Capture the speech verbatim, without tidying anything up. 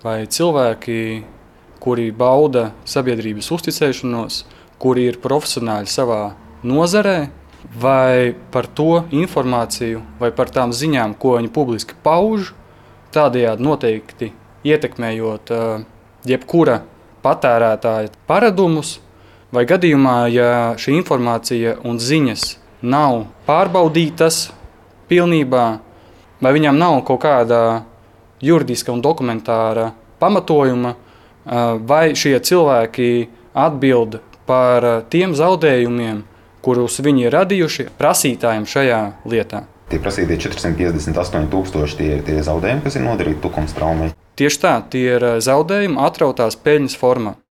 vai cilvēki, kuri bauda sabiedrības uzticēšanos, kuri ir profesionāļi savā nozarē, vai par to informāciju, vai par tām ziņām, ko viņi publiski pauž, tādējādi noteikti ietekmējot uh, jebkura patērētāja paradumus, vai gadījumā, ja šī informācija un ziņas nav pārbaudītas pilnībā, vai viņām nav kaut kāda juridiska un dokumentāra pamatojuma, vai šie cilvēki atbild par tiem zaudējumiem, kurus viņi ir radījuši prasītājiem šajā lietā. Tie prasītie četri simti piecdesmit astoņi tūkstoši tie ir tie zaudējumi, kas ir nodarīti Tukums traumai. Tieši tā, tie ir zaudējumi atrautās peļņas formā.